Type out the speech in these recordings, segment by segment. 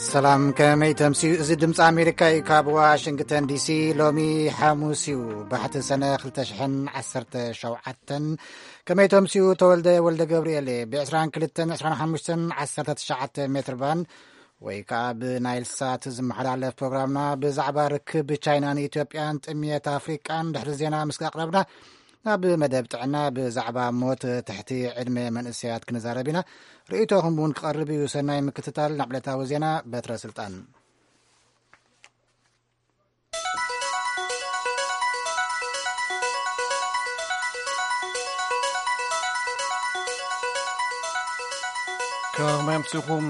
ሰላም፣ ከመይ ተምስዩ? እዚ ድምፂ ኣሜሪካ እዩ፣ ካብ ዋሽንግተን ዲሲ። ሎሚ ሓሙስ እዩ፣ ባሕቲ ሰነ ክልተ ሽሕን ዓሰርተ ሸውዓተን። ከመይ ተምስዩ? ተወልደ ወልደ ገብርኤል እየ። ብ22፣ 25፣ 19 ሜትር ባንድ ወይ ከዓ ብናይል ሳት ዝመሓላለፍ ፕሮግራምና ብዛዕባ ርክብ ቻይናን ኢትዮጵያን፣ ጥምየት ኣፍሪቃን ድሕሪ ዜና ምስ ኣቕረብና፣ ናብ መደብ ጥዕና ብዛዕባ ሞት ትሕቲ ዕድመ መንእሰያት ክንዛረብ ኢና። ርእይቶኹም እውን ክቐርብ እዩ። ሰናይ ምክትታል። ናብ ዕለታዊ ዜና፣ በትረ ስልጣን። ከመይ ኣምሲኹም?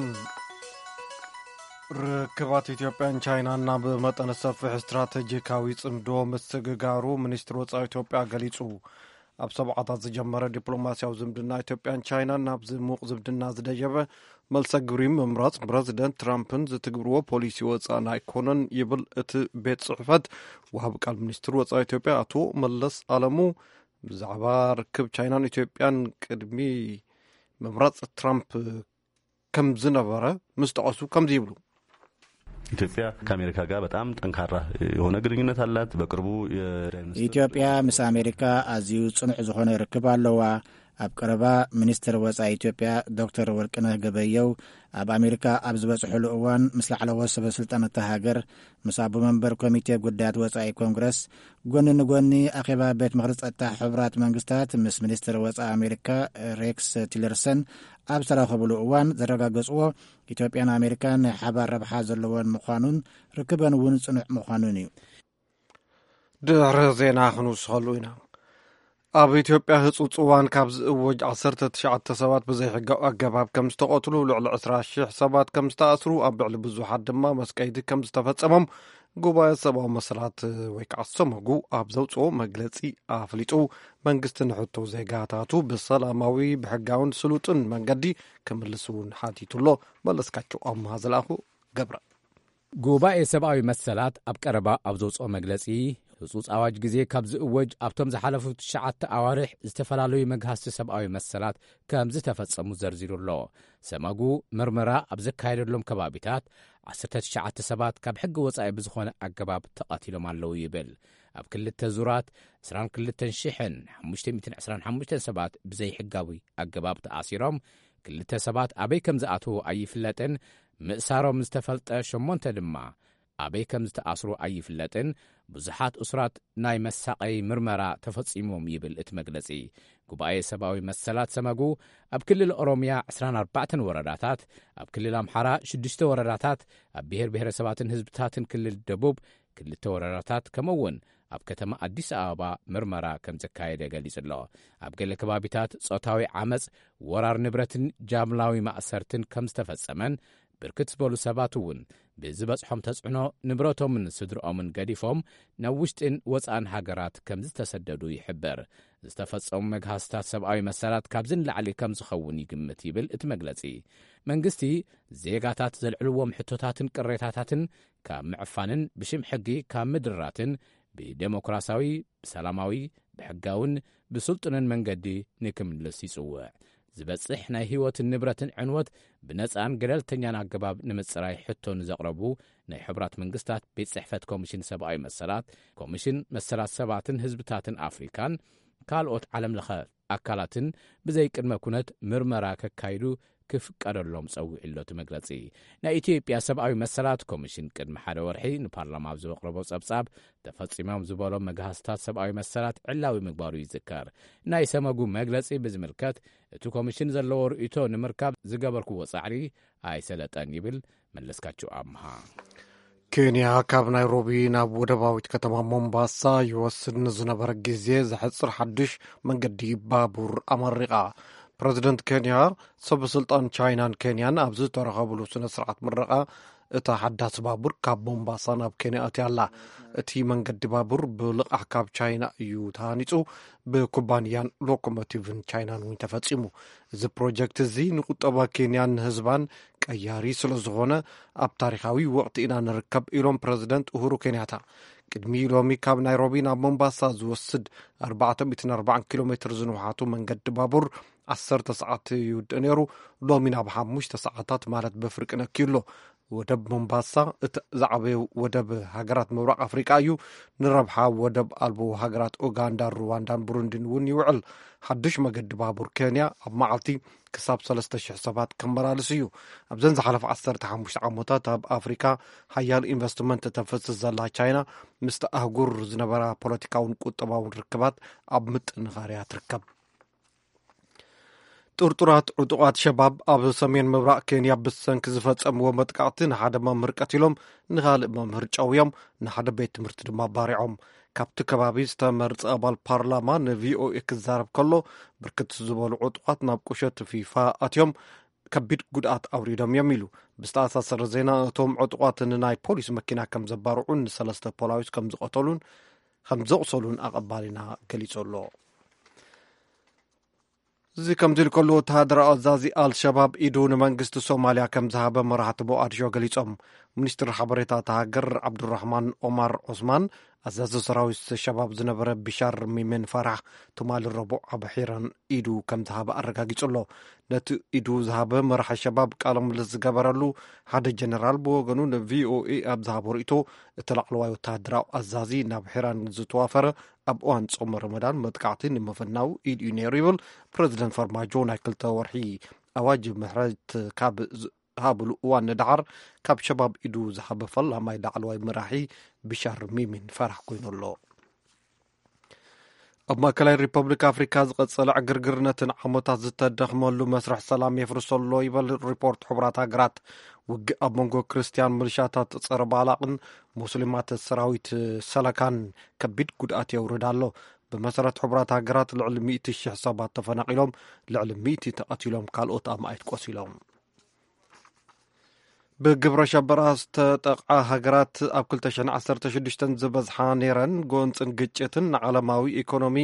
ርክባት ኢትዮጵያን ቻይናን ናብ መጠነ ሰፊሕ ስትራተጂካዊ ጽምዶ ምስግጋሩ ሚኒስትሪ ወጻኢ ኢትዮጵያ ገሊጹ። ኣብ ሰብዓታት ዝጀመረ ዲፕሎማስያዊ ዝምድና ኢትዮጵያን ቻይናን ናብ ዝሙቕ ዝምድና ዝደየበ መልሰ ግብሪ ምምራጽ ፕረዚደንት ትራምፕን ዝትግብርዎ ፖሊሲ ወጻኢ ኣይኮነን ይብል እቲ ቤት ጽሕፈት። ወሃቢ ቃል ሚኒስትሪ ወጻኢ ኢትዮጵያ ኣቶ መለስ ኣለሙ ብዛዕባ ርክብ ቻይናን ኢትዮጵያን ቅድሚ ምምራጽ ትራምፕ ከም ዝነበረ ምስ ጠቐሱ ከምዚ ይብሉ። ኢትዮጵያ ከአሜሪካ ጋር በጣም ጠንካራ የሆነ ግንኙነት አላት። በቅርቡ የጠቅላይ ሚኒስትር ኢትዮጵያ ምስ ኣሜሪካ ኣዝዩ ጽኑዕ ዝኾነ ርክብ ኣለዋ። ኣብ ቀረባ ሚኒስትር ወጻኢ ኢትዮጵያ ዶክተር ወርቅነህ ገበየው ኣብ ኣሜሪካ ኣብ ዝበጽሕሉ እዋን ምስ ላዕለዎት ሰበ ስልጣን እታ ሃገር፣ ምስ ኣቦ መንበር ኮሚቴ ጉዳያት ወጻኢ ኮንግረስ፣ ጎኒ ንጎኒ ኣኼባ ቤት ምኽሪ ጸጥታ ሕቡራት መንግስታት ምስ ሚኒስትር ወጻኢ ኣሜሪካ ሬክስ ቲለርሰን ኣብ ዝተራኸብሉ እዋን ዘረጋገጽዎ፣ ኢትዮጵያን ኣሜሪካን ናይ ሓባር ረብሓ ዘለወን ምዃኑን ርክበን እውን ጽኑዕ ምዃኑን እዩ። ድሕሪ ዜና ክንውስኸሉ ኢና። ኣብ ኢትዮጵያ ህጹጽ እዋን ካብ ዝእወጅ ዓሰርተ ትሽዓተ ሰባት ብዘይሕጋዊ ኣገባብ ከም ዝተቐትሉ፣ ልዕሊ ዕስራ ሽሕ ሰባት ከም ዝተኣስሩ፣ ኣብ ልዕሊ ብዙሓት ድማ መስቀይቲ ከም ዝተፈጸሞም ጉባኤ ሰብኣዊ መሰላት ወይ ከዓ ሰመጉ ኣብ ዘውጽኦ መግለጺ ኣፍሊጡ። መንግስቲ ንሕቶ ዜጋታቱ ብሰላማዊ፣ ብሕጋውን ስሉጥን መንገዲ ክምልስ እውን ሓቲቱ ኣሎ። መለስካቸው ኣምሃ ዝለኣኹ ገብረ። ጉባኤ ሰብኣዊ መሰላት ኣብ ቀረባ ኣብ ዘውጽኦ መግለጺ፣ ህጹጽ ኣዋጅ ግዜ ካብ ዝእወጅ ኣብቶም ዝሓለፉ ትሽዓተ ኣዋርሕ ዝተፈላለዩ መግሃስቲ ሰብኣዊ መሰላት ከም ዝተፈጸሙ ዘርዚሩ ኣሎ። ሰመጉ ምርመራ ኣብ ዘካየደሎም ከባቢታት ዓሰርተ ትሽዓተ ሰባት ካብ ሕጊ ወጻኢ ብዝኾነ ኣገባብ ተቐቲሎም ኣለዉ ይብል። ኣብ ክልተ ዙራት ዕስራን ክልተን ሽሕን ሓሙሽተ ሚእትን ዕስራን ሓሙሽተን ሰባት ብዘይሕጋዊ ኣገባብ ተኣሲሮም፣ ክልተ ሰባት ኣበይ ከም ዝኣተዉ ኣይፍለጥን። ምእሳሮም ዝተፈልጠ ሸሞንተ ድማ ኣበይ ከም ዝተኣስሩ ኣይፍለጥን። ብዙሓት እሱራት ናይ መሳቐይ ምርመራ ተፈጺሞም ይብል እቲ መግለጺ። ጉባኤ ሰብኣዊ መሰላት ሰመጉ ኣብ ክልል ኦሮምያ ዕስራን ኣርባዕተን ወረዳታት፣ ኣብ ክልል ኣምሓራ ሽዱሽተ ወረዳታት፣ ኣብ ብሔር ብሔረሰባትን ህዝብታትን ክልል ደቡብ ክልተ ወረዳታት፣ ከምኡ እውን ኣብ ከተማ ኣዲስ ኣበባ ምርመራ ከም ዘካየደ ገሊጹ ኣሎ። ኣብ ገለ ከባቢታት ጾታዊ ዓመጽ፣ ወራር ንብረትን ጃምላዊ ማእሰርትን ከም ዝተፈጸመን፣ ብርክት ዝበሉ ሰባት እውን ብዝበጽሖም ተጽዕኖ ንብረቶምን ስድርኦምን ገዲፎም ናብ ውሽጥን ወጻእን ሃገራት ከም ዝተሰደዱ ይሕበር። ዝተፈጸሙ መግሃስታት ሰብኣዊ መሰላት ካብዚ ንላዕሊ ከም ዝኸውን ይግምት ይብል እቲ መግለጺ። መንግስቲ ዜጋታት ዘልዕልዎም ሕቶታትን ቅሬታታትን ካብ ምዕፋንን ብሽም ሕጊ ካብ ምድራትን ብዴሞክራሲያዊ፣ ብሰላማዊ፣ ብሕጋውን ብስልጡንን መንገዲ ንክምልስ ይጽውዕ። ዝበጽሕ ናይ ህይወትን ንብረትን ዕንወት ብነጻን ገለልተኛን ኣገባብ ንምጽራይ ሕቶ ንዘቕረቡ ናይ ሕቡራት መንግስታት ቤት ጽሕፈት ኮሚሽን ሰብኣዊ መሰላት፣ ኮሚሽን መሰላት ሰባትን ህዝብታትን ኣፍሪካን ካልኦት ዓለም ለኸ ኣካላትን ብዘይ ቅድመ ኩነት ምርመራ ከካይዱ ክፍቀደሎም ጸዊዑ ኣሎ እቲ መግለጺ። ናይ ኢትዮጵያ ሰብኣዊ መሰላት ኮሚሽን ቅድሚ ሓደ ወርሒ ንፓርላማ ኣብ ዘቕረቦ ጸብጻብ፣ ተፈጺሞም ዝበሎም መግሃስታት ሰብኣዊ መሰላት ዕላዊ ምግባሩ ይዝከር። ናይ ሰመጉ መግለጺ ብዝምልከት እቲ ኮሚሽን ዘለዎ ርእይቶ ንምርካብ ዝገበርክዎ ጻዕሪ ኣይሰለጠን ይብል መለስካቸው ኣምሃ። ኬንያ ካብ ናይሮቢ ናብ ወደባዊት ከተማ ሞምባሳ ይወስድ ንዝነበረ ግዜ ዘሕጽር ሓድሽ መንገዲ ባቡር ኣመሪቓ። ፕረዚደንት ኬንያ፣ ሰበ ስልጣን ቻይናን ኬንያን ኣብ ዝተረኸብሉ ስነ ስርዓት ምረቓ፣ እታ ሓዳስ ባቡር ካብ ሞምባሳ ናብ ኬንያ ኣትያ ኣላ። እቲ መንገዲ ባቡር ብልቓሕ ካብ ቻይና እዩ ተሃኒጹ፣ ብኩባንያን ሎኮሞቲቭን ቻይናን እውን ተፈጺሙ። እዚ ፕሮጀክት እዚ ንቁጠባ ኬንያን ንህዝባን ቀያሪ ስለ ዝኾነ፣ ኣብ ታሪኻዊ ወቕቲ ኢና ንርከብ ኢሎም ፕረዚደንት ኡሁሩ ኬንያታ። ቅድሚ ሎሚ ካብ ናይሮቢ ናብ ሞምባሳ ዝወስድ ኣርባዕተ ሚእትን ኣርባዓን ኪሎ ሜትር ዝንውሓቱ መንገዲ ባቡር ዓሰርተ ሰዓት ይውድእ ነይሩ። ሎሚ ናብ ሓሙሽተ ሰዓታት ማለት ብፍርቂ ነክዩ ኣሎ። ወደብ ሞምባሳ እቲ ዝዓበየ ወደብ ሃገራት ምብራቕ ኣፍሪቃ እዩ። ንረብሓ ወደብ ኣልቦ ሃገራት ኡጋንዳ፣ ሩዋንዳን ብሩንዲን እውን ይውዕል። ሓድሽ መገዲ ባቡር ኬንያ ኣብ መዓልቲ ክሳብ ሰለስተ ሽሕ ሰባት ከመላልስ እዩ። ኣብዘን ዝሓለፈ ዓሰርተ ሓሙሽተ ዓመታት ኣብ ኣፍሪካ ሓያል ኢንቨስትመንት ተፍስስ ዘላ ቻይና፣ ምስቲ ኣህጉር ዝነበራ ፖለቲካውን ቁጠባውን ርክባት ኣብ ምጥንኻርያ ትርከብ። ጥርጡራት ዕጡቓት ሸባብ ኣብ ሰሜን ምብራቕ ኬንያ ብሰንኪ ዝፈጸምዎ መጥቃዕቲ ንሓደ መምህር ቀቲሎም፣ ንኻልእ መምህር ጨውዮም፣ ንሓደ ቤት ትምህርቲ ድማ ባሪዖም። ካብቲ ከባቢ ዝተመርጸ ኣባል ፓርላማ ንቪኦኤ ክዛረብ ከሎ፣ ብርክት ዝበሉ ዕጡቓት ናብ ቁሸት ፊፋ ኣትዮም ከቢድ ጉድኣት ኣውሪዶም እዮም ኢሉ። ብዝተኣሳሰረ ዜና፣ እቶም ዕጡቓት ንናይ ፖሊስ መኪና ከም ዘባርዑን ንሰለስተ ፖላዊስ ከም ዝቐተሉን ከም ዘቑሰሉን ኣቐባሊና ገሊጹ ኣሎ። እዚ ከምዚ ኢሉ ከሎ፣ ወተሃደራዊ ኣዛዚ ኣልሸባብ ኢዱ ንመንግስቲ ሶማልያ ከም ዝሃበ መራሕቲ ሞቓዲሾ ገሊጾም። ሚኒስትሪ ሓበሬታ እታ ሃገር ዓብዱራህማን ኦማር ዑስማን፣ ኣዛዚ ሰራዊት ሸባብ ዝነበረ ቢሻር ሚሜን ፋራሕ ትማሊ ረቡዕ ኣብ ሒራን ኢዱ ከም ዝሃበ ኣረጋጊጹ ኣሎ። ነቲ ኢዱ ዝሃበ መራሒ ሸባብ ቃለ ምልልስ ዝገበረሉ ሓደ ጀነራል ብወገኑ ንቪኦኤ ኣብ ዝሃቦ ርእይቶ፣ እቲ ላዕለዋይ ወተሃደራዊ ኣዛዚ ናብ ሒራን ዝተዋፈረ ኣብ እዋን ጾመ ረመዳን መጥቃዕቲ ንምፍናው ኢድ እዩ ነይሩ ይብል። ፕረዚደንት ፈርማጆ ናይ ክልተ ወርሒ ኣዋጅ ምሕረት ካብ ዝሃብሉ እዋን ንደሓር፣ ካብ ሸባብ ኢዱ ዝሃበ ፈላማይ ላዕለዋይ መራሒ ብሻር ሚሚን ፈራሕ ኮይኑ ኣሎ። ኣብ ማእከላይ ሪፐብሊክ ኣፍሪካ ዝቐጸለ ዕግርግር ነቲ ንዓመታት ዝተደኽመሉ መስርሕ ሰላም የፍርሶ ኣሎ ይበል ሪፖርት ሕቡራት ሃገራት። ውግእ ኣብ መንጎ ክርስትያን ምልሻታት ጸረ ባላቕን ሙስሊማት ሰራዊት ሰለካን ከቢድ ጉድኣት የውርድ ኣሎ። ብመሰረት ሕቡራት ሃገራት፣ ልዕሊ ሚእቲ ሽሕ ሰባት ተፈናቒሎም፣ ልዕሊ ሚእቲ ተቐቲሎም፣ ካልኦት ኣማኢት ቆሲሎም። ብግብረ ሸበራ ዝተጠቕዓ ሃገራት ኣብ ክልተ ሽሕን ዓሰርተ ሽዱሽተን ዝበዝሓ ነይረን። ጎንፅን ግጭትን ንዓለማዊ ኢኮኖሚ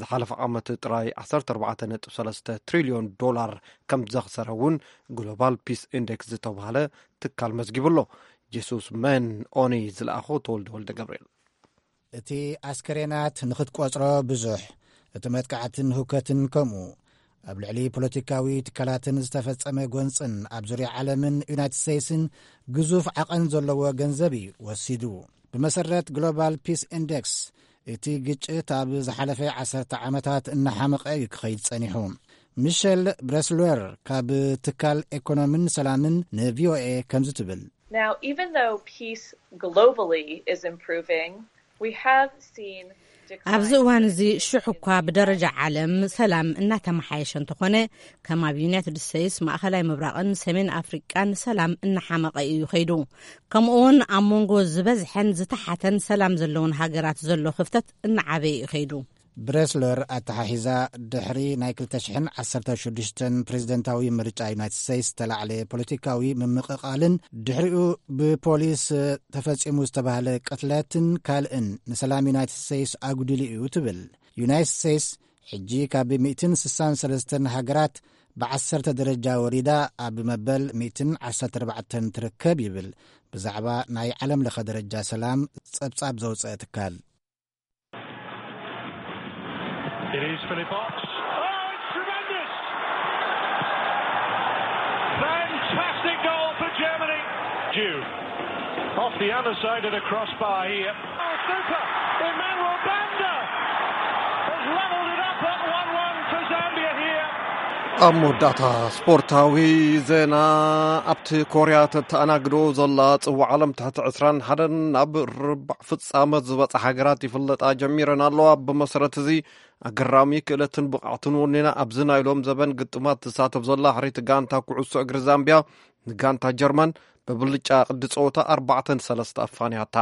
ዝሓለፈ ዓመት ጥራይ ዓሰርተ ኣርባዕተ ነጥቢ ሰለስተ ትሪልዮን ዶላር ከም ዘኽሰረ እውን ግሎባል ፒስ ኢንዴክስ ዝተባህለ ትካል መዝጊቡ ኣሎ። ጄሱስ መን ኦኒ ዝለኣኾ ተወልደ ወልደ ገብርኤል። እቲ ኣስከሬናት ንኽትቆጽሮ ብዙሕ፣ እቲ መጥቃዕትን ህውከትን ከምኡ። ኣብ ልዕሊ ፖለቲካዊ ትካላትን ዝተፈጸመ ጎንጽን ኣብ ዙርያ ዓለምን ዩናይትድ ስቴትስን ግዙፍ ዓቐን ዘለዎ ገንዘብ እዩ ወሲዱ። ብመሰረት ግሎባል ፒስ ኢንዴክስ፣ እቲ ግጭት ኣብ ዝሓለፈ ዓሰርተ ዓመታት እናሓመቐ እዩ ክኸይድ ጸኒሑ። ሚሸል ብረስለር ካብ ትካል ኤኮኖምን ሰላምን ንቪኦኤ ከምዚ ትብል። Now, even though peace globally is improving, we have seen ኣብዚ እዋን እዚ ሽሕ እኳ ብደረጃ ዓለም ሰላም እናተመሓየሸ እንተኾነ፣ ከም ኣብ ዩናይትድ ስቴትስ፣ ማእኸላይ ምብራቕን ሰሜን ኣፍሪቃን ሰላም እናሓመቐ እዩ ከይዱ። ከምኡ እውን ኣብ መንጎ ዝበዝሐን ዝተሓተን ሰላም ዘለውን ሃገራት ዘሎ ክፍተት እናዓበየ እዩ ከይዱ። ብሬስለር ኣተሓሒዛ፣ ድሕሪ ናይ ክልተ ሽሕን ዓሰርተ ሽዱሽተን ፕሬዝደንታዊ ምርጫ ዩናይትድ ስቴትስ ዝተላዕለ ፖለቲካዊ ምምቕቓልን ድሕሪኡ ብፖሊስ ተፈጺሙ ዝተባህለ ቅትለትን ካልእን ንሰላም ዩናይትድ ስቴትስ ኣጉዲሉ እዩ ትብል። ዩናይትድ ስቴትስ ሕጂ ካብ ሚእትን ስሳን ሰለስተን ሃገራት ብዓሰርተ ደረጃ ወሪዳ ኣብ መበል ሚእትን ዓሰርተ ኣርባዕተን ትርከብ ይብል ብዛዕባ ናይ ዓለም ለኸ ደረጃ ሰላም ጸብጻብ ዘውጸአ ትካል። It is Philip Potts. Oh, it's tremendous! Fantastic goal for Germany. Due. Off the other side of the crossbar here. Oh, super! Emmanuel Banda has levelled it up at one one for Zambia here. ኣብ መወዳእታ ስፖርታዊ ዜና፣ ኣብቲ ኮርያ ተተኣናግዶ ዘላ ጽዋዕ ዓለም ትሕቲ ዕስራን ሓደን ናብ ርባዕ ፍጻመ ዝበጽሓ ሃገራት ይፍለጣ ጀሚረን ኣለዋ። ብመሰረት እዚ፣ ኣገራሚ ክእለትን ብቕዓትን ወኒና ኣብዚ ናይ ሎም ዘበን ግጥማት ትሳተፍ ዘላ ሕርይቲ ጋንታ ኩዕሶ እግሪ ዛምብያ፣ ንጋንታ ጀርመን ብብልጫ ቅዲ ጸወታ ኣርባዕተ ንሰለስተ ኣፋንያታ።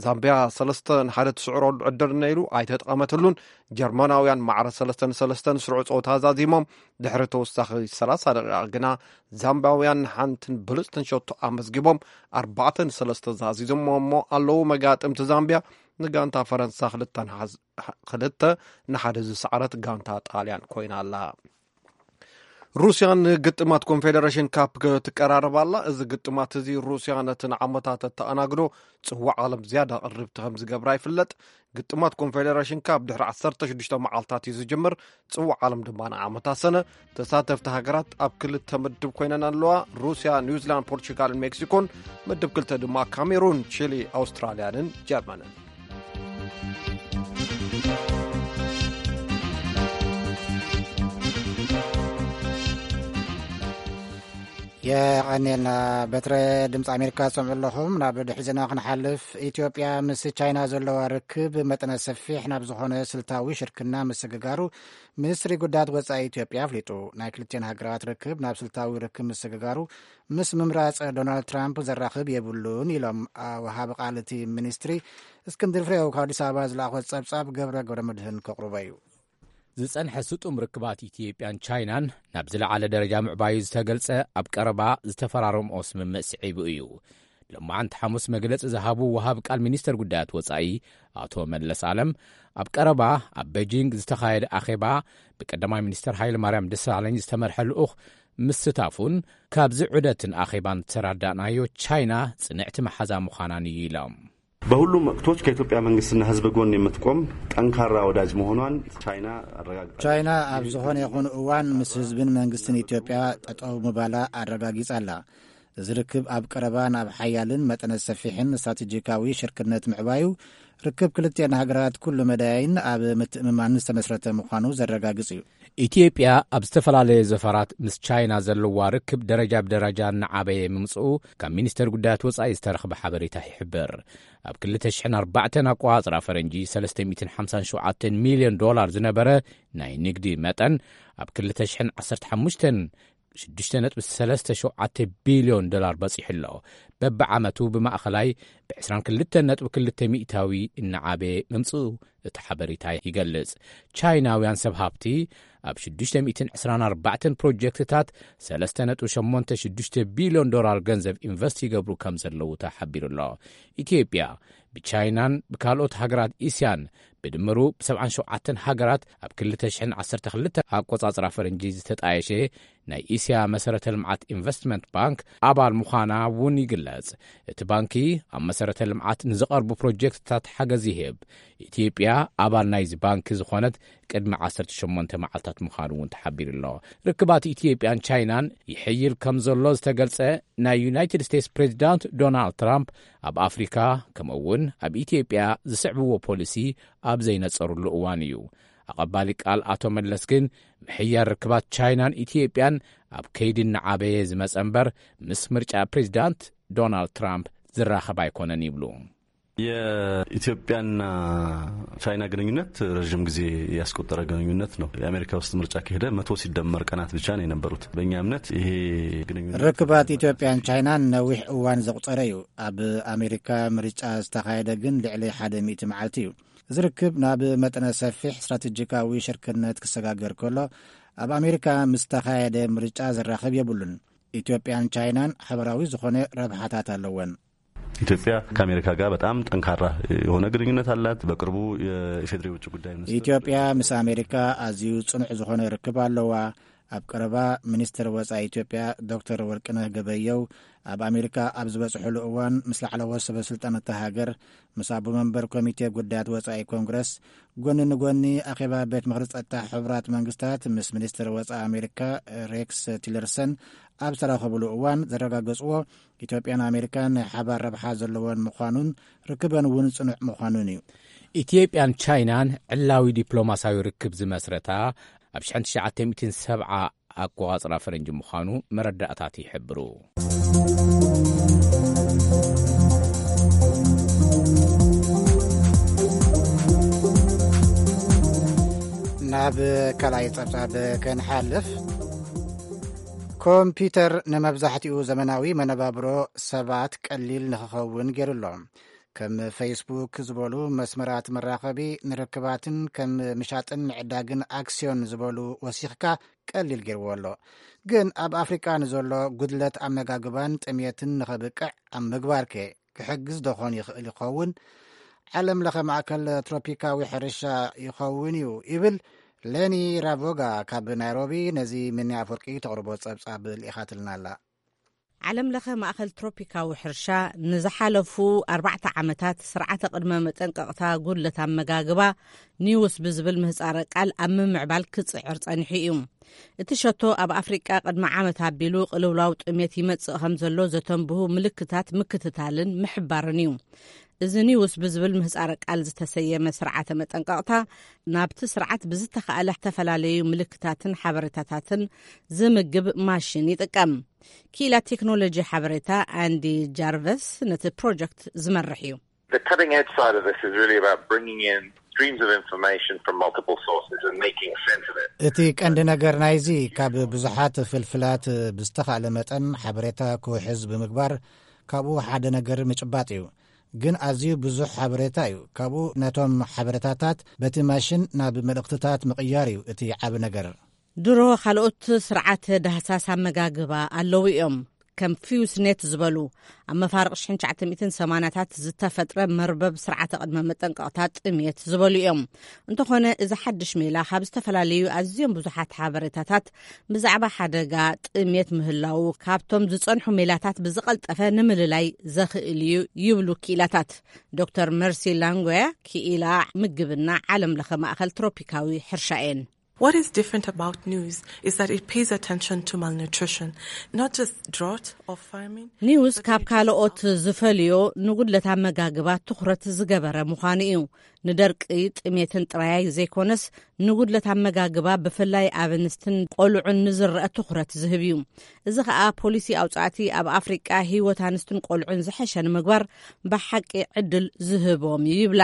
ዛምብያ ሰለስተ ንሓደ ትስዕረሉ ዕድል ነይሩ፣ ኣይተጠቐመትሉን። ጀርመናውያን ማዕረ ሰለስተ ንሰለስተ ንስሩዕ ጸወታ ዛዚሞም። ድሕሪ ተወሳኺ ሰላሳ ደቂቓ ግና፣ ዛምብያውያን ሓንትን ብልጽትን ሸቶ ኣመዝጊቦም፣ ኣርባዕተ ንሰለስተ ዛዚዞም እሞ ኣለዉ። መጋጥምቲ ዛምብያ ንጋንታ ፈረንሳ ክልተ ንሓዝ-፣ ክልተ ንሓደ ዝሰዓረት ጋንታ ጣልያን ኮይና ኣላ። ሩስያ ንግጥማት ኮንፌደሬሽን ካፕ ክትቀራረብ ኣላ። እዚ ግጥማት እዚ ሩስያ ነቲ ንዓመታት እተኣናግዶ ጽዋዕ ዓለም ዝያዳ ቅርብቲ ከም ዝገብራ ይፍለጥ። ግጥማት ኮንፌደሬሽን ካፕ ድሕሪ ዓሰርተ ሽዱሽተ መዓልታት እዩ ዝጅምር። ጽዋዕ ዓለም ድማ ንዓመታ ሰነ። ተሳተፍቲ ሃገራት ኣብ ክልተ ምድብ ኮይነን ኣለዋ። ሩስያ፣ ኒውዚላንድ፣ ፖርቹጋልን ሜክሲኮን። ምድብ ክልተ ድማ ካሜሩን፣ ቺሊ፣ ኣውስትራልያንን ጀርመንን። የቐኔልና። በትረ ድምፂ ኣሜሪካ ትሰምዑ ኣለኹም። ናብ ድሕሪ ዜና ክንሓልፍ፣ ኢትዮጵያ ምስ ቻይና ዘለዋ ርክብ መጠነ ሰፊሕ ናብ ዝኾነ ስልታዊ ሽርክና ምስግጋሩ ሚኒስትሪ ጉዳያት ወፃኢ ኢትዮጵያ ኣፍሊጡ። ናይ ክልቲኤን ሃገራት ርክብ ናብ ስልታዊ ርክብ ምስግጋሩ ምስ ምምራፅ ዶናልድ ትራምፕ ዘራኽብ የብሉን ኢሎም ወሃቢ ቃል እቲ ሚኒስትሪ። እስክንድር ፍሬው ካብ ኣዲስ ኣበባ ዝለኣኾ ፀብፃብ ገብረ ገብረ መድህን ከቕርቦ እዩ። ዝጸንሐ ስጡም ርክባት ኢትዮጵያን ቻይናን ናብ ዝለዓለ ደረጃ ምዕባዩ ዝተገልጸ፣ ኣብ ቀረባ ዝተፈራረምኦ ስምምዕ ስዒቡ እዩ። ሎማዓንቲ ሓሙስ መግለጺ ዝሃቡ ወሃብ ቃል ሚኒስተር ጉዳያት ወጻኢ ኣቶ መለስ ኣለም፣ ኣብ ቀረባ ኣብ ቤጂንግ ዝተኻየደ ኣኼባ ብቀዳማይ ሚኒስተር ሃይለ ማርያም ደሳለኝ ዝተመርሐ ልኡኽ ምስታፉን ካብዚ ዑደትን ኣኼባን ዝተረዳእናዮ፣ ቻይና ጽንዕቲ መሓዛ ምዃናን እዩ ኢሎም። በሁሉም ወቅቶች ከኢትዮጵያ መንግስትና ህዝብ ጎን የምትቆም ጠንካራ ወዳጅ መሆኗን ቻይና አረጋግጣለች። ቻይና ኣብ ዝኾነ ይኹን እዋን ምስ ህዝብን መንግስትን ኢትዮጵያ ጠጠው ምባላ ኣረጋጊጻ ኣላ። እዚ ርክብ ኣብ ቀረባ ናብ ሓያልን መጠነ ሰፊሕን ስትራቴጂካዊ ሽርክነት ምዕባዩ፣ ርክብ ክልቲኤን ሃገራት ኩሉ መዳይን ኣብ ምትእምማን ዝተመስረተ ምዃኑ ዘረጋግጽ እዩ። ኢትዮጵያ ኣብ ዝተፈላለየ ዘፈራት ምስ ቻይና ዘለዋ ርክብ ደረጃ ብደረጃ እናዓበየ ምምጽኡ ካብ ሚኒስተር ጉዳያት ወጻኢ ዝተረኽበ ሓበሬታ ይሕብር። ኣብ ክልተ ሽሕን ኣርባዕተን ኣቆጻጽራ ፈረንጂ ሰለስተ ሚእትን ሓምሳን ሸውዓተን ሚልዮን ዶላር ዝነበረ ናይ ንግዲ መጠን፣ ኣብ ክልተ ሽሕን ዓሰርተ ሓሙሽተን ሽዱሽተ ነጥቢ ሰለስተ ሸውዓተ ቢልዮን ዶላር በጺሑ ኣሎ። በብዓመቱ ብማእኸላይ ብ ዕስራን ክልተን ነጥቢ ክልተ ሚእታዊ እናዓበየ ምምጽኡ እቲ ሓበሬታ ይገልጽ። ቻይናውያን ሰብ ሃብቲ ኣብ ሽዱሽተ ሚእትን ዕስራን ኣርባዕተን ፕሮጀክትታት ሰለስተ ነጥቢ ሸሞንተ ሽዱሽተ ቢልዮን ዶላር ገንዘብ ኢንቨስት ይገብሩ ከም ዘለዉ ተሓቢሩ ኣሎ። ኢትዮጵያ ብቻይናን ብካልኦት ሃገራት እስያን ብድምሩ ብሰብዓን ሸውዓተን ሃገራት ኣብ ክልተ ሽሕን ዓሰርተ ክልተ ኣቆጻጽራ ፈረንጂ ዝተጣየሸ ናይ እስያ መሰረተ ልምዓት ኢንቨስትመንት ባንክ ኣባል ምዃና እውን ይግለጽ። እቲ ባንኪ ኣብ መሰረተ ልምዓት ንዝቐርቡ ፕሮጀክትታት ሓገዝ ይህብ። ኢትዮጵያ ኣባል ናይዚ ባንኪ ዝኾነት ቅድሚ ዓሰርተ ሸሞንተ መዓልታት ምዃኑ እውን ተሓቢሩ ኣሎ። ርክባት ኢትዮጵያን ቻይናን ይሕይል ከም ዘሎ ዝተገልጸ ናይ ዩናይትድ ስቴትስ ፕሬዚዳንት ዶናልድ ትራምፕ፣ ኣብ ኣፍሪካ ከምኡ እውን ኣብ ኢትዮጵያ ዝስዕብዎ ፖሊሲ ኣብ ዘይነጸሩሉ እዋን እዩ። ኣቐባሊ ቃል ኣቶ መለስ ግን፣ ምሕያር ርክባት ቻይናን ኢትዮጵያን ኣብ ከይዲ እናዓበየ ዝመጸ እምበር፣ ምስ ምርጫ ፕሬዚዳንት ዶናልድ ትራምፕ ዝራኸብ ኣይኮነን ይብሉ። የኢትዮጵያና ቻይና ግንኙነት ረዥም ጊዜ ያስቆጠረ ግንኙነት ነው። የአሜሪካ ውስጥ ምርጫ ከሄደ መቶ ሲደመር ቀናት ብቻ ነው የነበሩት። በእኛ እምነት ይሄ ግንኙነት ርክባት ኢትዮጵያን ቻይናን ነዊሕ እዋን ዘቑጸረ እዩ። ኣብ ኣሜሪካ ምርጫ ዝተኻየደ ግን ልዕሊ ሓደ ሚእቲ መዓልቲ እዩ። እዚ ርክብ ናብ መጠነ ሰፊሕ ስትራቴጂካዊ ሽርክነት ክሰጋገር ከሎ፣ ኣብ ኣሜሪካ ምስ ተኻየደ ምርጫ ዘራኽብ የብሉን። ኢትዮጵያን ቻይናን ሓበራዊ ዝኾነ ረብሓታት ኣለወን። ኢትዮጵያ ከአሜሪካ ጋር በጣም ጠንካራ የሆነ ግንኙነት አላት። በቅርቡ የኢፌዴሪ ውጭ ጉዳይ ሚኒስትር ኢትዮጵያ ምስ ኣሜሪካ ኣዝዩ ጽኑዕ ዝኾነ ርክብ ኣለዋ። ኣብ ቀረባ ሚኒስትር ወጻኢ ኢትዮጵያ ዶክተር ወርቅነህ ገበየው ኣብ ኣሜሪካ ኣብ ዝበጽሕሉ እዋን ምስ ላዕለዎት ሰበ ስልጣን እታ ሃገር፣ ምስ ኣቦ መንበር ኮሚቴ ጉዳያት ወጻኢ ኮንግረስ፣ ጎኒ ንጎኒ ኣኼባ ቤት ምኽሪ ጸጥታ ሕቡራት መንግስታት ምስ ሚኒስትር ወጻኢ ኣሜሪካ ሬክስ ቲለርሰን ኣብ ዝተራኸብሉ እዋን ዘረጋገጽዎ፣ ኢትዮጵያን ኣሜሪካን ናይ ሓባር ረብሓ ዘለወን ምዃኑን ርክበን እውን ጽኑዕ ምዃኑን እዩ። ኢትዮጵያን ቻይናን ዕላዊ ዲፕሎማስያዊ ርክብ ዝመስረታ ኣብ ሽሕን ትሽዓተ ሚእትን ሰብዓ ኣቆጻጽራ ፈረንጂ ምዃኑ መረዳእታት ይሕብሩ። ናብ ካልኣይ ጸብጻብ ክንሓልፍ፣ ኮምፒተር ንመብዛሕትኡ ዘመናዊ መነባብሮ ሰባት ቀሊል ንኽኸውን ገይሩ ኣሎ። ከም ፌስቡክ ዝበሉ መስመራት መራኸቢ ንርክባትን ከም ምሻጥን ምዕዳግን ኣክስዮን ዝበሉ ወሲኽካ ቀሊል ገይርዎ ኣሎ። ግን ኣብ ኣፍሪቃ ንዘሎ ጉድለት ኣመጋግባን ጥሜትን ንኸብቅዕ ኣብ ምግባር ከ ክሕግዝ ዶኾን ይኽእል ይኸውን? ዓለም ለኸ ማእከል ትሮፒካዊ ሕርሻ ይኸውን እዩ ይብል ሌኒ ራቮጋ ካብ ናይሮቢ ነዚ ሚኒ ኣፈወርቂ ተቕርቦ ጸብጻብ ልኢኻትልና ኣላ። ዓለም ለኸ ማእኸል ትሮፒካዊ ሕርሻ ንዝሓለፉ ኣርባዕተ ዓመታት ስርዓተ ቅድመ መጠንቀቕታ ጉድለት ኣመጋግባ ኒውስ ብዝብል ምህጻረ ቃል ኣብ ምምዕባል ክጽዕር ጸኒሑ እዩ። እቲ ሸቶ ኣብ ኣፍሪቃ ቅድሚ ዓመት ኣቢሉ ቅልውላው ጥሜት ይመጽእ ከም ዘሎ ዘተንብሁ ምልክታት ምክትታልን ምሕባርን እዩ። እዚ ኒውስ ብዝብል ምህጻረ ቃል ዝተሰየመ ስርዓተ መጠንቀቕታ ናብቲ ስርዓት ብዝተኻእለ ዝተፈላለዩ ምልክታትን ሓበሬታታትን ዝምግብ ማሽን ይጥቀም። ክኢላ ቴክኖሎጂ ሓበሬታ ኣንዲ ጃርቨስ ነቲ ፕሮጀክት ዝመርሕ እዩ። The cutting edge side of this is really about bringing in streams of information from multiple sources and making sense of it. እቲ ቀንዲ ነገር ናይዚ ካብ ብዙሓት ፍልፍላት ብዝተኻእለ መጠን ሓበሬታ ክውሕዝ ብምግባር ካብኡ ሓደ ነገር ምጭባጥ እዩ። ግን ኣዝዩ ብዙሕ ሓበሬታ እዩ። ካብኡ ነቶም ሓበሬታታት በቲ ማሽን ናብ መልእኽትታት ምቕያር እዩ እቲ ዓቢ ነገር። ድሮ ካልኦት ስርዓተ ዳህሳስ ኣመጋግባ ኣለዉ እዮም። ከም ፊውስኔት ዝበሉ ኣብ መፋርቕ ሽሕን ትሽዓተ ሚእትን ሰማንያታት ዝተፈጥረ መርበብ ስርዓተ ቅድመ መጠንቀቕታ ጥሜት ዝበሉ እዮም። እንተኾነ እዚ ሓድሽ ሜላ ካብ ዝተፈላለዩ ኣዝዮም ብዙሓት ሓበሬታታት ብዛዕባ ሓደጋ ጥሜት ምህላዉ ካብቶም ዝጸንሑ ሜላታት ብዝቐልጠፈ ንምልላይ ዘኽእል እዩ ይብሉ ክኢላታት። ዶክተር መርሲ ላንጎያ ክኢላ ምግብና ዓለም ለኸ ማእኸል ትሮፒካዊ ሕርሻ እየን። What is different about news is that it pays attention to malnutrition, not just drought or famine. ኒውስ ካብ ካልኦት ዝፈልዮ ንጉድለት ኣመጋግባ ትኹረት ዝገበረ ምዃኑ እዩ። ንደርቂ ጥሜትን ጥራይ ዘይኮነስ ንጉድለት ኣመጋግባ ብፍላይ ኣብ ኣንስትን ቆልዑን ንዝረአ ትኹረት ዝህብ እዩ። እዚ ኸኣ ፖሊሲ ኣውጻእቲ ኣብ ኣፍሪቃ ህይወት ኣንስትን ቆልዑን ዝሐሸ ንምግባር ብሓቂ ዕድል ዝህቦም እዩ ይብላ።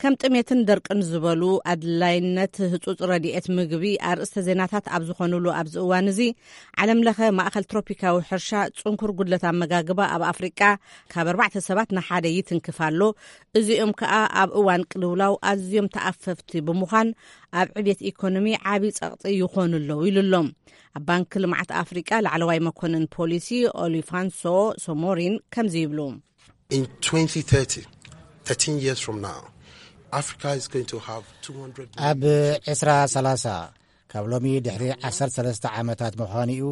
ከም ጥሜትን ደርቅን ዝበሉ ኣድላይነት ህጹጽ ረድኤት ምግቢ ኣርእስተ ዜናታት ኣብ ዝኾኑሉ ኣብዚ እዋን እዚ፣ ዓለም ለኸ ማእኸል ትሮፒካዊ ሕርሻ ጽንኩር ጉድለት ኣመጋግባ ኣብ ኣፍሪቃ ካብ ኣርባዕተ ሰባት ንሓደ ይትንክፍ ኣሎ። እዚኦም ከኣ ኣብ እዋን ቅልውላው ኣዝዮም ተኣፈፍቲ ብምዃን ኣብ ዕብየት ኢኮኖሚ ዓቢ ጸቕጢ ይኾኑ ኣለዉ ኢሉ ኣሎ። ኣብ ባንኪ ልምዓት ኣፍሪቃ ላዕለዋይ መኮንን ፖሊሲ ኦሊፋንሶ ሶሞሪን ከምዚ ይብሉ። In twenty thirty, thirteen years from now, Africa is going to have two hundred million. ኣብ ዕስራ ሰላሳ፣ ካብ ሎሚ ድሕሪ ዓሰርተ ሰለስተ ዓመታት ምዃኑ እዩ፣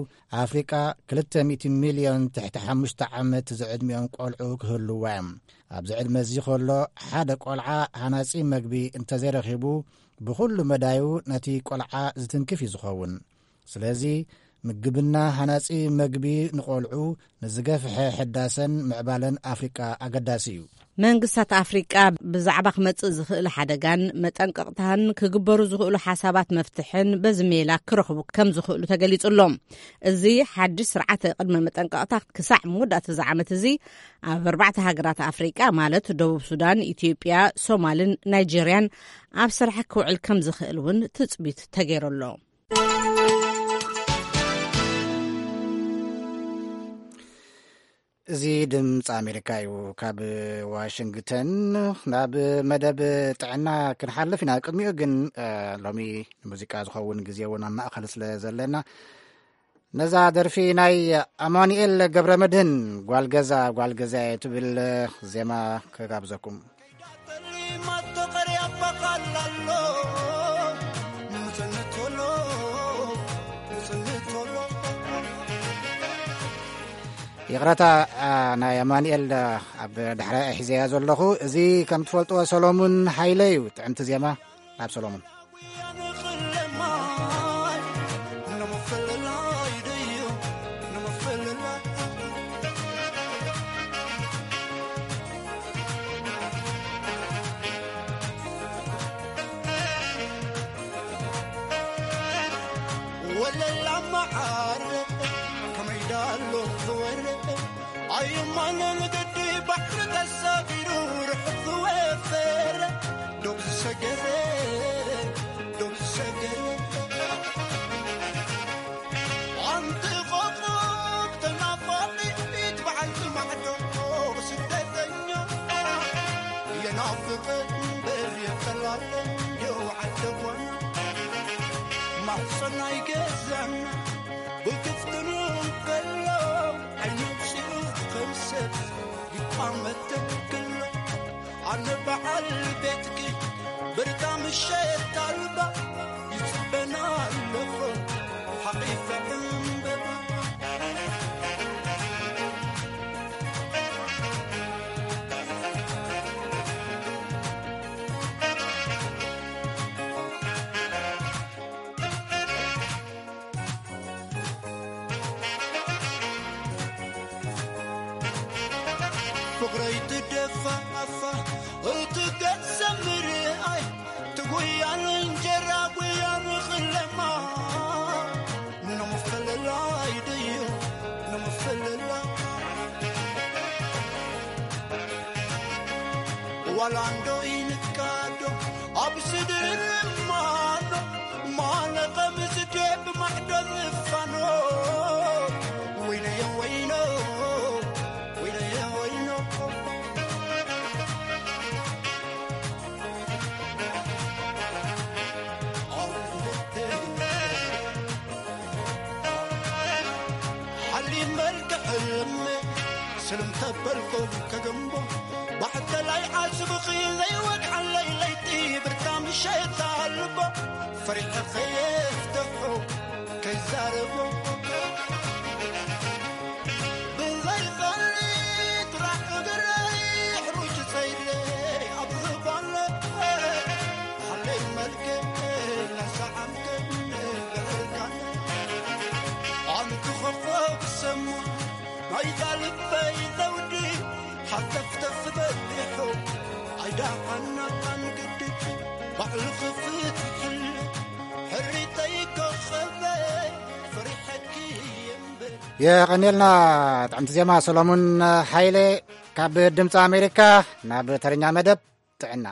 ኣፍሪቃ ክልተ ሚእቲ ሚልዮን ትሕቲ ሓሙሽተ ዓመት ዝዕድሚኦም ቆልዑ ክህልዋ እዮም። ኣብዚ ዕድመ እዚ ከሎ ሓደ ቆልዓ ሃናጺ መግቢ እንተዘይረኺቡ ብኹሉ መዳዩ ነቲ ቆልዓ ዝትንክፍ እዩ ዝኸውን። ስለዚ ምግብና ሃናጺ መግቢ ንቆልዑ ንዝገፍሐ ሕዳሰን ምዕባለን ኣፍሪቃ ኣገዳሲ እዩ። መንግስታት ኣፍሪቃ ብዛዕባ ክመጽእ ዝኽእል ሓደጋን መጠንቀቕታን ክግበሩ ዝኽእሉ ሓሳባት መፍትሕን በዚ ሜላ ክረኽቡ ከም ዝኽእሉ ተገሊጹ ኣሎ። እዚ ሓድሽ ስርዓተ ቅድመ መጠንቀቕታ ክሳዕ መወዳእታ እዚ ዓመት እዚ ኣብ ኣርባዕተ ሃገራት ኣፍሪቃ ማለት ደቡብ ሱዳን፣ ኢትዮጵያ፣ ሶማልን ናይጄርያን ኣብ ስራሕ ክውዕል ከም ዝኽእል እውን ትጽቢት ተገይሩ ኣሎ። እዚ ድምፂ ኣሜሪካ እዩ። ካብ ዋሽንግተን ናብ መደብ ጥዕና ክንሓልፍ ኢና። ቅድሚኡ ግን፣ እ፣ ሎሚ ንሙዚቃ ዝኸውን ግዜ እውን ኣብ ማእኸል ስለ ዘለና፣ ነዛ ደርፊ ናይ ኣማኑኤል ገብረ መድህን ጓል ገዛ፣ ጓል ገዛ ትብል ዜማ ክጋብዘኩም። ይቕረታ፣ ኣ፣ ናይ ኣማኑኤል፣ ኣ፣ ኣብ ዳሕራይ ሒዘያ ዘለኹ። እዚ ከም ትፈልጥዎ ሰሎሙን ሃይለ እዩ። ጥዕምቲ ዜማ ናብ ሰሎሙን። ወለላ መዓር ከመይ ዳሎ ዝወረ ኣዩማነ ንግዲ ባሕሪ ተሳፊሩ ርሑቕ ዝወፈረ ዶብ ዝሰገረ ዶብ ዝሰገረ ኣንቲ ቆቆብ ተናፋቂት በዓልቲ ማዕዶ ስደተኛ የናፍቅ እምበር የጠላለን የውዓል ደጓና ማሕፀናይ ገዛና ብክፍትኑ ከሎ ዓይኑ ኣውፂኡ ከም ሰብ ይቋመት ተክሎ ኣነ በዓል ቤትኪ ብርካ ምሸት ኣልባ ይፅበ ኣላንዶ ኢንካዶ ኣብ ስድር ማኖ ማለቐ ምስዴ ብማሕዶ ዝፋኖ ወይለየ ወይኖ ወይለየ ወይኖ ሓሊ መልክዕ ሕልም ስልም ተበልኩም ከገንቦ ባሕተላይ ዓስብኺ ዘይወድዓለይ ለይቲ ብርታ ምሸት ኣልቦ ፈሪሐ ከየፍትሑ ከይዛረቦ ብዘይ ጸሊት ራዕ እግረይ ሕሩጭ ጸይደይ ኣብ ዝባለ ሓለይ መልክዕ ናሰዓምከ ብዕርቃነ ኣንቲ ኸኾብ ሰማ ናይዛ ልበይ ዘውዲ ሓተፍተፍ በሊሑ ኣይዳሓና ኣንግዲ ባዕሉ ክፍትሕለ ሕሪተይ ከኸበ ፈሪሐኪ እምበር የቐንየልና። ጥዕምቲ ዜማ ሰሎሙን ሓይለ። ካብ ድምፂ ኣሜሪካ ናብ ተረኛ መደብ ጥዕና።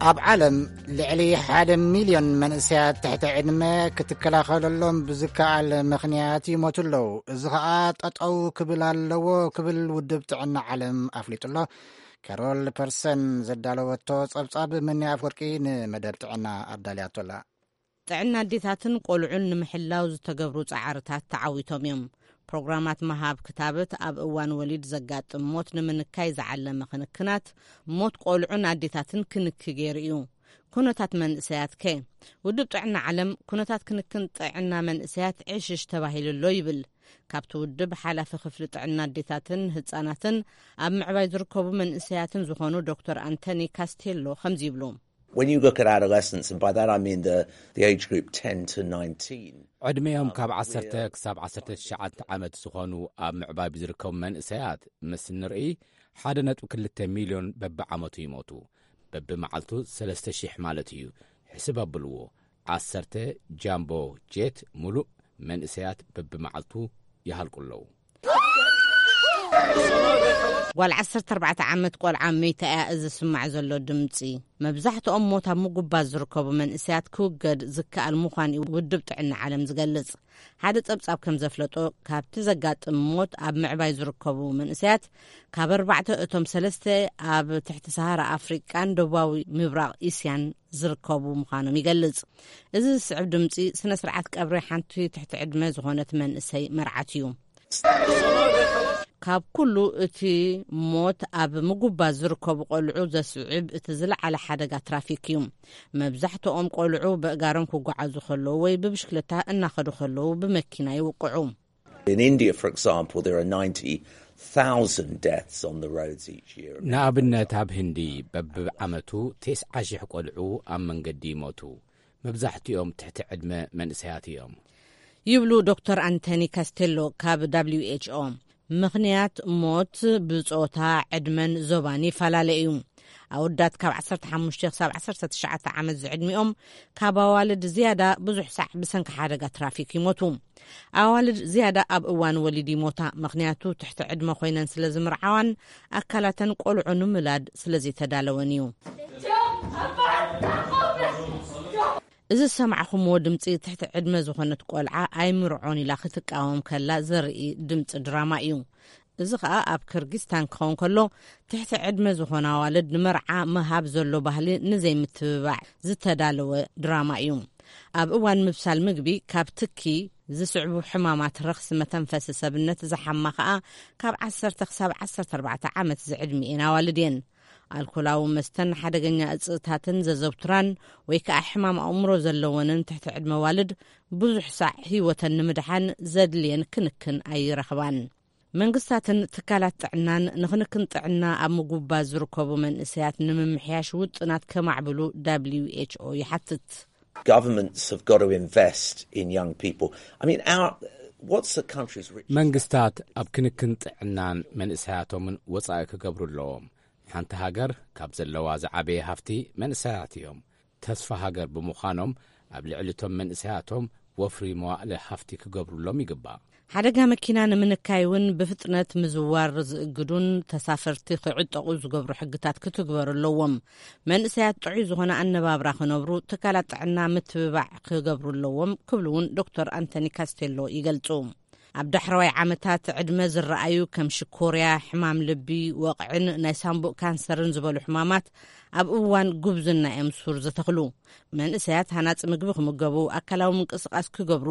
ኣብ ዓለም ልዕሊ ሓደ ሚልዮን መንእሰያት ትሕቲ ዕድመ ክትከላኸለሎም ብዝከኣል ምኽንያት ይሞቱ ኣለዉ። እዚ ኸኣ ጠጠው ክብል ኣለዎ ክብል ውድብ ጥዕና ዓለም ኣፍሊጡ ኣሎ። ካሮል ፐርሰን ዘዳለወቶ ጸብጻብ መኒ ኣፍወርቂ ንመደብ ጥዕና ኣዳልያቶላ። ጥዕና ኣዴታትን ቆልዑን ንምሕላው ዝተገብሩ ጻዕርታት ተዓዊቶም እዮም። ፕሮግራማት ምሃብ ክታበት፣ ኣብ እዋን ወሊድ ዘጋጥም ሞት ንምንካይ ዝዓለመ ክንክናት፣ ሞት ቆልዑን ኣዴታትን ክንኪ ገይሩ እዩ። ኩነታት መንእሰያት ከ? ውድብ ጥዕና ዓለም ኩነታት ክንክን ጥዕና መንእሰያት ዕሽሽ ተባሂሉ ኣሎ ይብል። ካብቲ ውድብ ሓላፊ ክፍሊ ጥዕና ኣዴታትን ህጻናትን ኣብ ምዕባይ ዝርከቡ መንእሰያትን ዝኾኑ ዶክተር ኣንቶኒ ካስቴሎ ከምዚ ይብሉ። When you look at adolescents, and by that I mean the, the age group ten to nineteen, ዕድሜኦም ካብ ዓሰርተ ክሳብ ዓሰርተ ትሽዓተ ዓመት ዝኾኑ ኣብ ምዕባይ ዝርከቡ መንእሰያት ምስ ንርኢ፣ ሓደ ነጥቢ ክልተ ሚልዮን በብዓመቱ ይሞቱ። በብመዓልቱ ሰለስተ ሽሕ ማለት እዩ። ሕስብ ኣብልዎ፣ ዓሰርተ ጃምቦ ጄት ሙሉእ መንእሰያት በብመዓልቱ ይሃልቁ ኣለዉ። ጓል ዓሰርተ ኣርባዕተ ዓመት ቆልዓ መይታ እያ እዚ ዝስማዕ ዘሎ ድምጺ። መብዛሕትኦም ሞት ኣብ ምጉባዝ ዝርከቡ መንእሰያት ክውገድ ዝከኣል ምዃን እዩ ውድብ ጥዕና ዓለም ዝገልጽ። ሓደ ጸብጻብ ከም ዘፍለጦ፣ ካብቲ ዘጋጥም ሞት ኣብ ምዕባይ ዝርከቡ መንእሰያት፣ ካብ ኣርባዕተ እቶም ሰለስተ ኣብ ትሕቲ ሰሃራ ኣፍሪቃን ደቡባዊ ምብራቕ እስያን ዝርከቡ ምዃኖም ይገልጽ። እዚ ዝስዕብ ድምጺ ስነ ስርዓት ቀብሪ ሓንቲ ትሕቲ ዕድመ ዝኾነት መንእሰይ መርዓት እዩ። ካብ ኩሉ እቲ ሞት ኣብ ምጉባዝ ዝርከቡ ቆልዑ ዘስዕብ እቲ ዝለዓለ ሓደጋ ትራፊክ እዩ። መብዛሕትኦም ቆልዑ በእጋሮም ክጓዓዙ ከለዉ ወይ ብብሽክለታ እናኸዱ ከለዉ ብመኪና ይውቅዑ። In India, for example, there are ninety thousand deaths on the roads each year. ንኣብነት ኣብ ህንዲ በብዓመቱ ተስዓ ሽሕ ቆልዑ ኣብ መንገዲ ይሞቱ። መብዛሕትኦም ትሕቲ ዕድመ መንእሰያት እዮም። ይብሉ ዶክተር ኣንቶኒ ካስቴሎ ካብ ደብሊው ኤች ኦ። ምኽንያት ሞት ብጾታ፣ ዕድመን ዞባን ይፈላለ እዩ። ኣወዳት ካብ ዓሰርተ ሓሙሽተ ክሳብ ዓሰርተ ትሽዓተ ዓመት ዝዕድሚኦም ካብ ኣዋልድ ዝያዳ ብዙሕ ሳዕ ብሰንኪ ሓደጋ ትራፊክ ይሞቱ። ኣዋልድ ዝያዳ ኣብ እዋን ወሊድ ይሞታ፣ ምኽንያቱ ትሕቲ ዕድመ ኮይነን ስለ ዝምርዓዋን ኣካላተን ቆልዑ ንምውላድ ስለ ዘይተዳለወን እዩ። እዚ ዝሰማዕኹምዎ ድምጺ ትሕቲ ዕድመ ዝኾነት ቆልዓ ኣይምርዖን ኢላ ክትቃወም ከላ ዘርኢ ድምጺ ድራማ እዩ። እዚ ኸኣ ኣብ ክርጊስታን ክኸውን ከሎ፣ ትሕቲ ዕድመ ዝኾና ኣዋልድ ንመርዓ ምሃብ ዘሎ ባህሊ ንዘይምትብባዕ ዝተዳለወ ድራማ እዩ። ኣብ እዋን ምብሳል ምግቢ ካብ ትኪ ዝስዕቡ ሕማማት ረኽሲ መተንፈሲ ሰብነት ዝሓማ ኸኣ ካብ ዓሰርተ ክሳብ ዓሰርተ ኣርባዕተ ዓመት ዝዕድሚኤን ኣዋልድ እየን። ኣልኮላዊ መስተን ሓደገኛ እጽታትን ዘዘውትራን ወይ ከኣ ሕማም ኣእምሮ ዘለወንን ትሕቲ ዕድመ ኣዋልድ ብዙሕ ሳዕ ህይወተን ንምድሓን ዘድልየን ክንክን ኣይረኽባን። መንግስታትን ትካላት ጥዕናን ንክንክን ጥዕና ኣብ ምጉባዝ ዝርከቡ መንእሰያት ንምምሕያሽ ውጥናት ከማዕብሉ ደብሊው ኤች ኦ ይሓትት። Governments have got to invest in young people. I mean, our, what's the country's richest? መንግስታት ኣብ ክንክን ጥዕናን መንእሰያቶምን ወጻኢ ክገብሩ ኣለዎም። ሓንቲ ሃገር ካብ ዘለዋ ዝዓበየ ሃፍቲ መንእሰያት እዮም። ተስፋ ሃገር ብምዃኖም፣ ኣብ ልዕሊ እቶም መንእሰያቶም ወፍሪ መዋእለ ሃፍቲ ክገብሩሎም ይግባእ። ሓደጋ መኪና ንምንካይ እውን ብፍጥነት ምዝዋር ዝእግዱን ተሳፈርቲ ክዕጠቑ ዝገብሩ ሕግታት ክትግበሩ ኣለዎም። መንእሰያት ጥዑይ ዝኾነ ኣነባብራ ክነብሩ፣ ትካላት ጥዕና ምትብባዕ ክገብሩ ኣለዎም ክብሉ እውን ዶክተር ኣንቶኒ ካስቴሎ ይገልጹ። ኣብ ዳሕረዋይ ዓመታት ዕድመ ዝረኣዩ ከም ሽኮርያ፣ ሕማም ልቢ፣ ወቕዕን ናይ ሳምቡእ ካንሰርን ዝበሉ ሕማማት ኣብ እዋን ጉብዝና እዮም ሱር ዝተኽሉ። መንእሰያት ሃናፂ ምግቢ ክምገቡ፣ ኣካላዊ ምንቅስቓስ ክገብሩ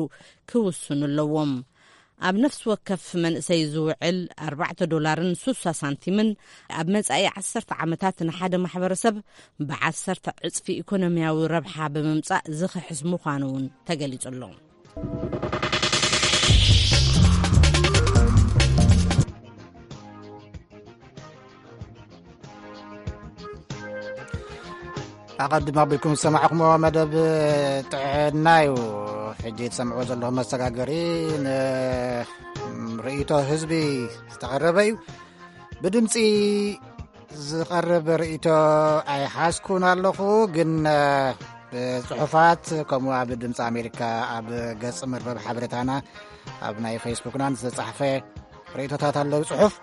ክውስኑ ኣለዎም። ኣብ ነፍሲ ወከፍ መንእሰይ ዝውዕል ኣርባዕተ ዶላርን ስሳ ሳንቲምን ኣብ መጻኢ ዓሰርተ ዓመታት ንሓደ ማሕበረሰብ ብዓሰርተ ዕጽፊ ኢኮኖሚያዊ ረብሓ ብምምጻእ ዝኽሕስ ምዃኑ እውን ተገሊጹ ኣሎ። ኣቐድም ኣቢልኩም ዝሰማዕኩሞ መደብ ጥዕና እዩ። ሕጂ ትሰምዕዎ ዘለኹም መሰጋገሪ ንርእይቶ ህዝቢ ዝተቐረበ እዩ። ብድምፂ ዝቐርብ ርእይቶ ኣይሓዝኩን ኣለኹ፣ ግን ብጽሑፋት ከምኡ ኣብ ድምፂ ኣሜሪካ ኣብ ገጽ መርበብ ሓበሬታና ኣብ ናይ ፌስቡክናን ዝተጻሕፈ ርእይቶታት ኣለዉ። ጽሑፍ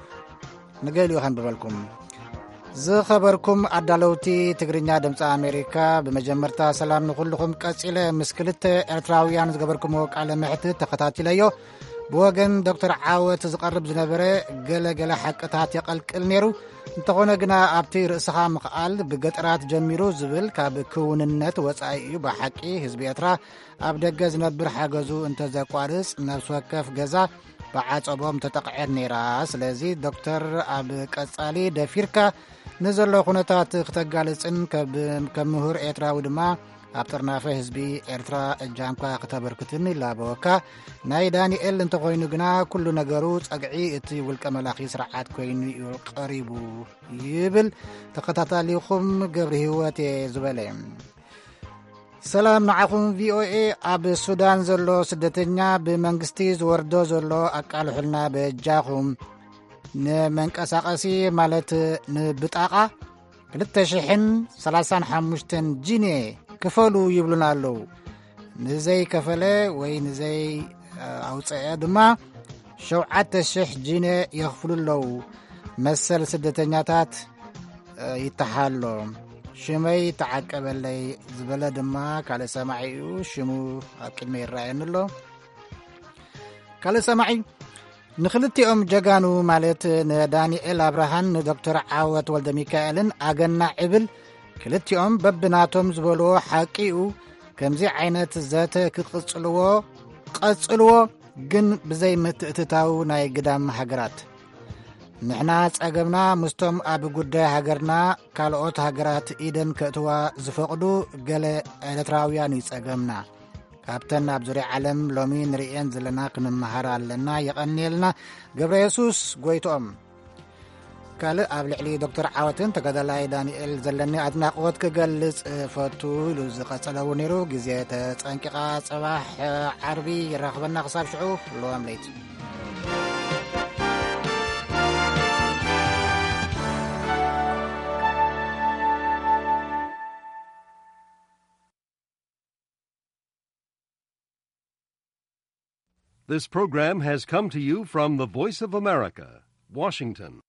ንገሊኡ ከንብበልኩም። ዝኸበርኩም ኣዳለውቲ ትግርኛ ድምፂ ኣሜሪካ፣ ብመጀመርታ ሰላም ንኹልኹም። ቀጺለ ምስ ክልተ ኤርትራውያን ዝገበርኩምዎ ቃለ መሕትት ተኸታቲለዮ። ብወገን ዶክተር ዓወት ዝቐርብ ዝነበረ ገለ ገለ ሓቅታት የቐልቅል ነይሩ። እንተኾነ ግና ኣብቲ ርእስኻ ምኽኣል ብገጠራት ጀሚሩ ዝብል ካብ ክውንነት ወጻኢ እዩ። ብሓቂ ህዝቢ ኤርትራ ኣብ ደገ ዝነብር ሓገዙ እንተዘቋርጽ ነፍሲ ወከፍ ገዛ ብዓጸቦም ተጠቕዐት ነይራ። ስለዚ ዶክተር ኣብ ቀጻሊ ደፊርካ ንዘሎ ኩነታት ክተጋልጽን ከብ-፣ ከም ምሁር ኤርትራዊ ድማ ኣብ ጥርናፈ ህዝቢ ኤርትራ እጃምካ ክተበርክትን ይላበወካ። ናይ ዳንኤል እንተኾይኑ ግና ኩሉ ነገሩ ጸግዒ እቲ ውልቀ መላኺ ስርዓት ኮይኑ እዩ ቀሪቡ ይብል ተኸታታሊኹም ገብረ ህይወት እየ ዝበለ። ሰላም ንዓኹም ቪ ኦ ኤ። ኣብ ሱዳን ዘሎ ስደተኛ ብመንግስቲ ዝወርዶ ዘሎ ኣቃልሑልና በጃኹም። ንመንቀሳቐሲ ማለት ንብጣቓ ክልተ ሽሕን ሰላሳን ሓሙሽተን ጂንየ ክፈሉ ይብሉና ኣለዉ። ንዘይከፈለ ወይ ንዘይ ኣውፅአ ድማ ሸውዓተ ሽሕ ጂንየ የኽፍሉ ኣለዉ። መሰል ስደተኛታት ይተሓሎ። ሽመይ ተዓቀበለይ ዝበለ ድማ ካልእ ሰማዒ እዩ። ሽሙ ኣብ ቅድመ ይረኣየኒ ኣሎ። ካልእ ሰማዒ ንክልቲኦም ጀጋኑ ማለት ንዳንኤል ኣብርሃን ንዶክተር ዓወት ወልደ ሚካኤልን ኣገና ዕብል። ክልቲኦም በብናቶም ዝበልዎ ሓቂ እዩ። ከምዚ ዓይነት ዘተ ክቕጽልዎ ቀጽልዎ፣ ግን ብዘይ ምትእትታው ናይ ግዳም ሃገራት። ንሕና ጸገምና ምስቶም ኣብ ጉዳይ ሃገርና ካልኦት ሃገራት ኢደን ከእትዋ ዝፈቕዱ ገለ ኤርትራውያን እዩ ጸገምና። ካብተን ኣብ ዙርያ ዓለም ሎሚ ንርእየን ዘለና ክንመሃር ኣለና። የቐንየልና። ገብረ የሱስ ጎይትኦም። ካልእ ኣብ ልዕሊ ዶክተር ዓወትን ተጋዳላይ ዳንኤል ዘለኒ ኣድናቕወት ክገልጽ እፈቱ ኢሉ ዝቐጸለ እውን ነይሩ። ግዜ ተጸንቂቓ፣ ጽባሕ ዓርቢ ይራኽበና። ክሳብ ሽዑ፣ ለዋም ለይቲ። This program has come to you from the Voice of America, Washington.